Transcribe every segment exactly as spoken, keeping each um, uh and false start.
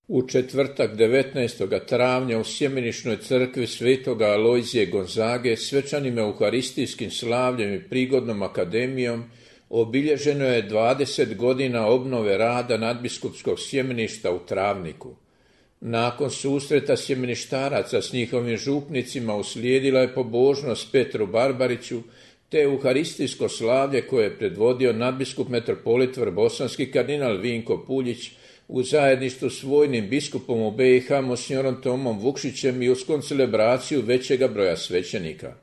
U četvrtak devetnaestog travnja u Sjemeničnoj crkvi svetoga Alojzije Gonzage svečanim euharistijskim slavljem i prigodnom akademijom obilježeno je dvadeset godina obnove rada nadbiskupskog sjemeništa u Travniku. Nakon susreta sjemeništaraca s njihovim župnicima uslijedila je pobožnost Petru Barbariću te euharistijsko slavlje koje je predvodio nadbiskup metropolit vrbosanski kardinal Vinko Puljić u zajedništvu s vojnim biskupom u B i H monsignorom Tomom Vukšićem i uz koncelebraciju većega broja svećenika.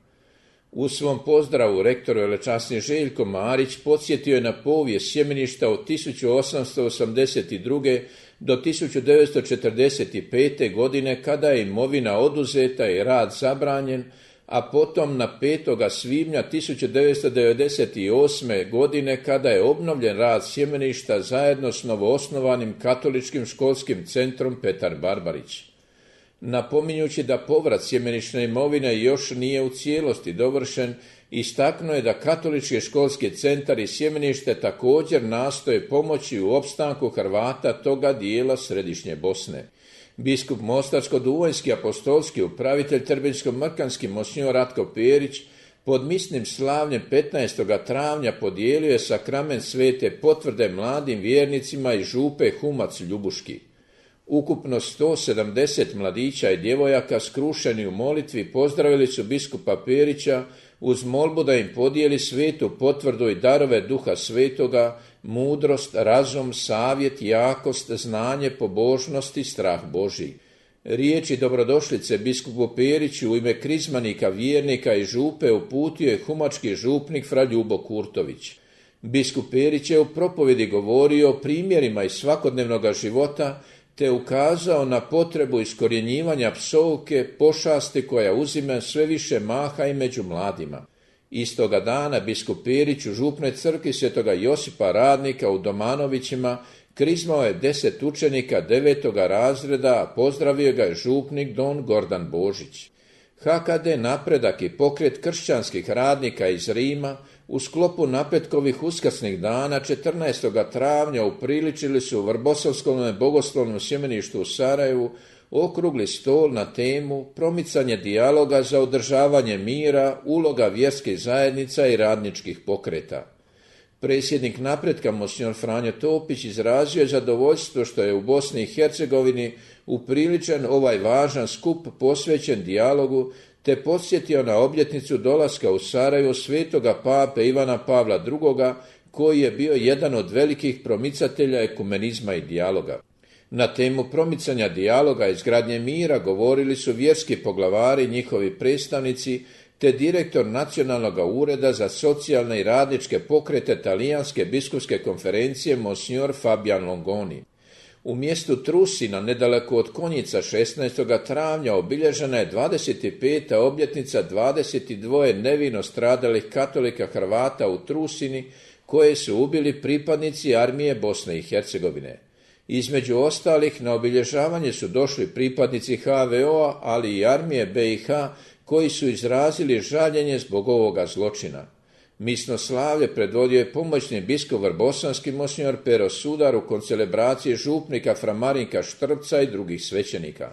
U svom pozdravu rektor velečasni Željko Marić podsjetio je na povijest sjemeništa od tisuću osamsto osamdeset druge do tisuću devetsto četrdeset pete. godine kada je imovina oduzeta i rad zabranjen, a potom na petoga svibnja tisuću devetsto devedeset osme. godine kada je obnovljen rad sjemeništa zajedno s novoosnovanim katoličkim školskim centrom Petar Barbarić. Napominjući da povrat sjemenične imovine još nije u cijelosti dovršen, istaknuo je da katolički školski centar i sjemenište također nastoje pomoći u opstanku Hrvata toga dijela središnje Bosne. Biskup Mostarsko-duvanjski apostolski upravitelj Trbenjsko-mrkanski monsinjor Ratko Perić pod misnim slavljem petnaestog travnja podijelio je sakrament svete potvrde mladim vjernicima iz župe Humac Ljubuški. Ukupno sto sedamdeset mladića i djevojaka skrušeni u molitvi pozdravili su biskupa Perića uz molbu da im podijeli svetu potvrdu i darove Duha Svetoga, mudrost, razum, savjet, jakost, znanje, pobožnost i strah Božji. Riječi dobrodošlice biskupu Periću u ime krizmanika, vjernika i župe uputio je humački župnik fra Ljubo Kurtović. Biskup Perić je u propovjedi govorio o primjerima iz svakodnevnog života te ukazao na potrebu iskorjenjivanja psovke, pošasti koja uzima sve više maha i među mladima. Istoga dana biskup Perić u župnoj crkvi svetoga Josipa Radnika u Domanovićima krizmao je deset učenika devetoga razreda, a pozdravio ga je župnik don Gordan Božić. H K D Napredak i pokret kršćanskih radnika iz Rima u sklopu napretkovih uskrsnih dana četrnaestog travnja upriličili su u Vrbosavskom bogoslovnom sjemeništu u Sarajevu okrugli stol na temu promicanje dijaloga za održavanje mira, uloga vjerskih zajednica i radničkih pokreta. Predsjednik Napretka monsinjor Franjo Topić izrazio je zadovoljstvo što je u Bosni i Hercegovini upriličen ovaj važan skup posvećen dijalogu, te podsjetio na obljetnicu dolaska u Sarajevo svetoga pape Ivana Pavla drugoga, koji je bio jedan od velikih promicatelja ekumenizma i dijaloga. Na temu promicanja dijaloga i izgradnje mira govorili su vjerski poglavari, njihovi predstavnici, te direktor Nacionalnog ureda za socijalne i radničke pokrete Talijanske biskupske konferencije monsinjor Fabian Longoni. U mjestu Trusina, nedaleko od Konjica, šesnaestog travnja obilježena je dvadeset peta obljetnica dvadeset dva nevino stradalih katolika Hrvata u Trusini, koje su ubili pripadnici armije Bosne i Hercegovine. Između ostalih na obilježavanje su došli pripadnici H V O-a, ali i armije B i H, koji su izrazili žaljenje zbog ovoga zločina. Misno slavlje predvodio je pomoćni biskup vrbosanski monsinjor Pero Sudar u koncelebraciji župnika fra Marinka Štrbca i drugih svećenika.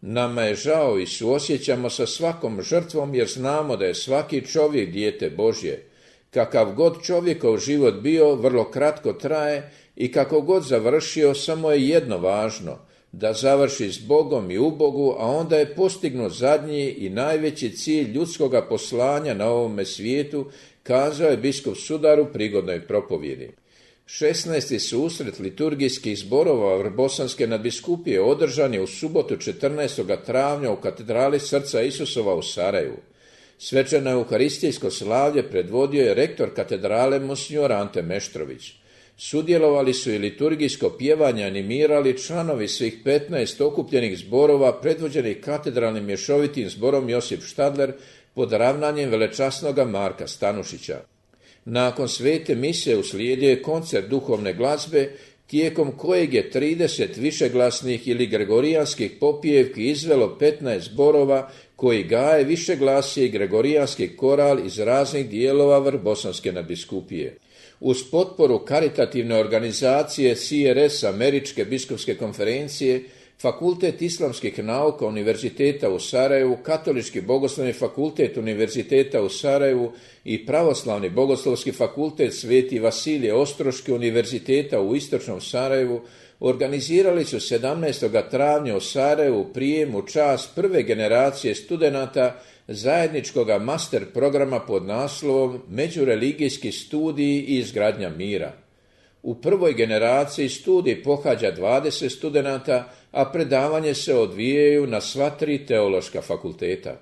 Nama je žao i suosjećamo sa svakom žrtvom jer znamo da je svaki čovjek dijete Božje. Kakav god čovjekov život bio, vrlo kratko traje i kako god završio, samo je jedno važno, da završi s Bogom i u Bogu, a onda je postignut zadnji i najveći cilj ljudskoga poslanja na ovome svijetu, kazao je biskup Sudar u prigodnoj propovjedi. šesnaesti susret liturgijskih zborova Vrbosanske nadbiskupije održan je u subotu četrnaestog travnja u katedrali Srca Isusova u Sarajevu. Svečano euharistijsko slavlje predvodio je rektor katedrale monsinjor Ante Meštrović. Sudjelovali su i liturgijsko pjevanje animirali članovi svih petnaest okupljenih zborova predvođenih katedralnim mješovitim zborom Josip Štadler pod ravnanjem velečasnoga Marka Stanušića. Nakon svete mise uslijedio je koncert duhovne glazbe, tijekom kojeg je trideset višeglasnih ili gregorijanskih popijevki izvelo petnaest zborova koji gaje višeglasje i gregorijanski koral iz raznih dijelova Vrbosanske nadbiskupije. Uz potporu karitativne organizacije C R S Američke biskupske konferencije, Fakultet islamskih nauka Univerziteta u Sarajevu, Katolički bogoslovni fakultet Univerziteta u Sarajevu i Pravoslavni bogoslovski fakultet Sveti Vasilije Ostroški Univerziteta u Istočnom Sarajevu organizirali su sedamnaestog travnja u Sarajevu prijem u čast prve generacije studenata zajedničkog master programa pod naslovom Međureligijski studiji i izgradnja mira. U prvoj generaciji studij pohađa dvadeset studenata, a predavanje se odvijaju na sva tri teološka fakulteta.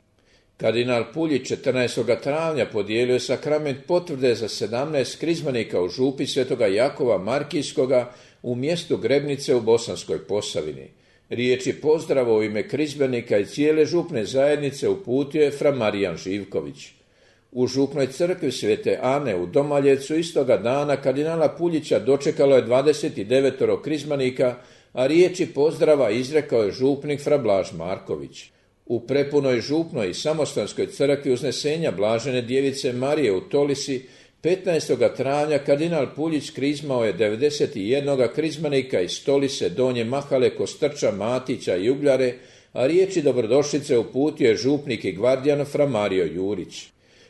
Kardinal Puljić četrnaestog travnja podijelio je sakrament potvrde za sedamnaest krizmanika u župi Svetoga Jakova Markijskoga u mjestu Grebnice u Bosanskoj Posavini. Riječi pozdrava u ime krizmanika i cijele župne zajednice uputio je fra Marijan Živković. U župnoj crkvi Svete Ane u Domaljevcu istoga dana kardinala Puljića dočekalo je dvadeset devet krizmanika, a riječi pozdrava izrekao je župnik fra Blaž Marković. U prepunoj župnoj i samostanskoj crkvi Uznesenja Blažene djevice Marije u Tolisi petnaestog travnja kardinal Puljić krizmao je devedeset jedan krizmanika iz Tolise, Donje Mahale, Kostrča, Matića i Ugljare, a riječi dobrodošlice uputio je župnik i gvardijan fra Mario Jurić.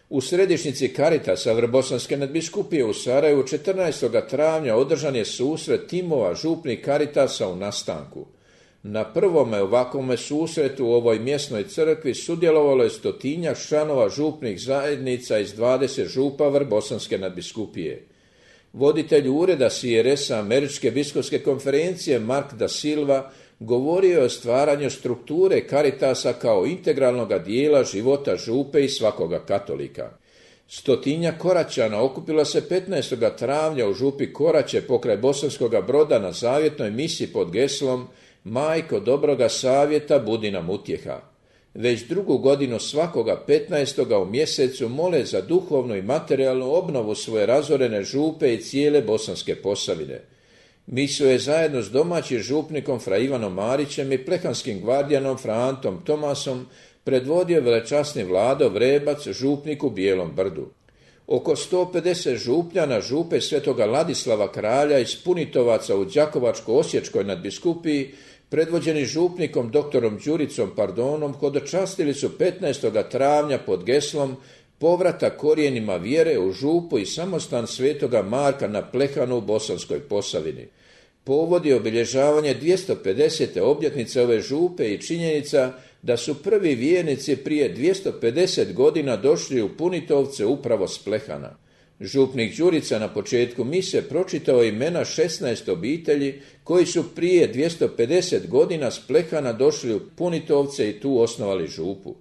U središnjici Karitasa Vrbosanske nadbiskupije u Sarajevu četrnaestog travnja održan je susret timova župnih Karitasa u nastanku. Na prvome ovakvome susretu u ovoj mjesnoj crkvi sudjelovalo je stotinjak članova župnih zajednica iz dvadeset župa Vrbosanske nadbiskupije. Voditelj ureda C R S Američke biskupske konferencije Mark da Silva govorio je o stvaranju strukture Karitasa kao integralnog dijela života župe i svakoga katolika. Stotinja Koraćana okupila se petnaestog travnja u župi Koraće pokraj Bosanskoga Broda na zavjetnoj misi pod geslom Majko dobroga savjeta, budi nam utjeha. Već drugu godinu svakoga petnaestoga u mjesecu mole za duhovnu i materijalnu obnovu svoje razorene župe i cijele Bosanske Posavine. Misu je zajedno s domaćim župnikom fra Ivanom Marićem i plehanskim gvardijanom fra Antom Tomasom predvodio velečasni Vlado Vrebac, župnik u Bijelom Brdu. Oko sto pedeset župljana župe Svetoga Ladislava Kralja iz Punitovaca u Đakovačko-Osječkoj nadbiskupiji, predvođeni župnikom doktorom Đuricom Pardonom, hodočastili su petnaestog travnja pod geslom Povratak korijenima vjere u župu i samostan Svetoga Marka na Plehanu u Bosanskoj Posavini. Povod je obilježavanje dvjesto pedesete obljetnice ove župe i činjenica da su prvi vjernici prije dvjesto pedeset godina došli u Punitovce upravo s Plehana. Župnik Đurica na početku mise pročitao imena šesnaest obitelji koji su prije dvjesto pedeset godina s Plehana došli u Punitovce i tu osnovali župu.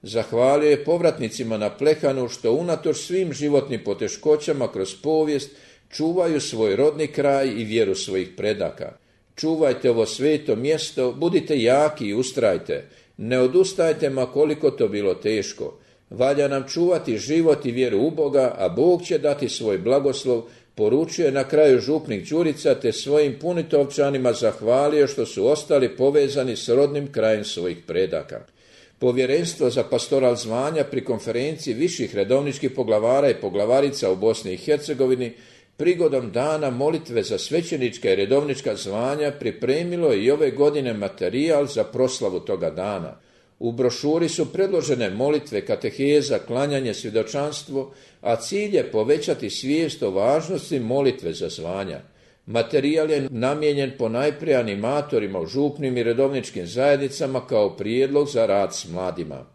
Zahvalio je povratnicima na Plehanu što unatoč svim životnim poteškoćama kroz povijest čuvaju svoj rodni kraj i vjeru svojih predaka. Čuvajte ovo sveto mjesto, budite jaki i ustrajte, ne odustajte ma koliko to bilo teško. Valja nam čuvati život i vjeru u Boga, a Bog će dati svoj blagoslov, poručuje na kraju župnik Đurica te svojim Punitovčanima zahvalio što su ostali povezani s rodnim krajem svojih predaka. Povjerenstvo za pastoral zvanja pri konferenciji viših redovničkih poglavara i poglavarica u Bosni i Hercegovini prigodom dana molitve za svećenička i redovnička zvanja pripremilo je i ove godine materijal za proslavu toga dana. U brošuri su predložene molitve, kateheza, klanjanje, svjedočanstvo, a cilj je povećati svijest o važnosti molitve za zvanja. Materijal je namijenjen ponajprije animatorima u župnim i redovničkim zajednicama kao prijedlog za rad s mladima.